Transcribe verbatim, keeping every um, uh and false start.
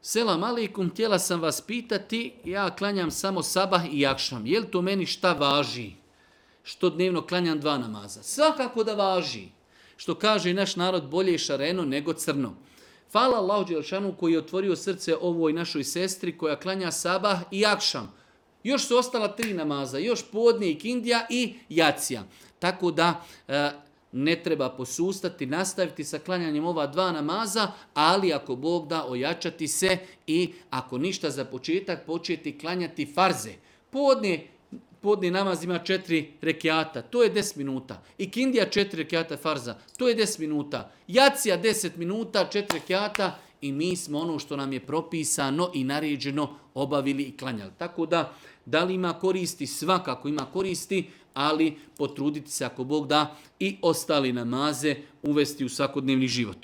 Selam aleikum, htjela sam vas pitati, ja klanjam samo sabah i akšam. Je li to meni šta važi? Što dnevno klanjam dva namaza? Svakako da važi. Što kaže naš narod, bolje je šareno nego crno. Hvala Allahu dželešanu koji je otvorio srce ovoj našoj sestri koja klanja sabah i akšam. Još su ostala tri namaza, još podne i kindija i jacija. Tako da e, ne treba posustati, nastaviti sa klanjanjem ova dva namaza, ali ako Bog da, ojačati se i ako ništa za početak, početi klanjati farze. Podne, podne namaz ima četiri rekiata, to je deset minuta. I kindija četiri rekiata farza, to je deset minuta. Jacija deset minuta, četiri rekiata i mi smo ono što nam je propisano i naređeno obavili i klanjali. Tako da, da li ima koristi? Svakako ima koristi, ali potruditi se ako Bog da i ostali namaze uvesti u svakodnevni život.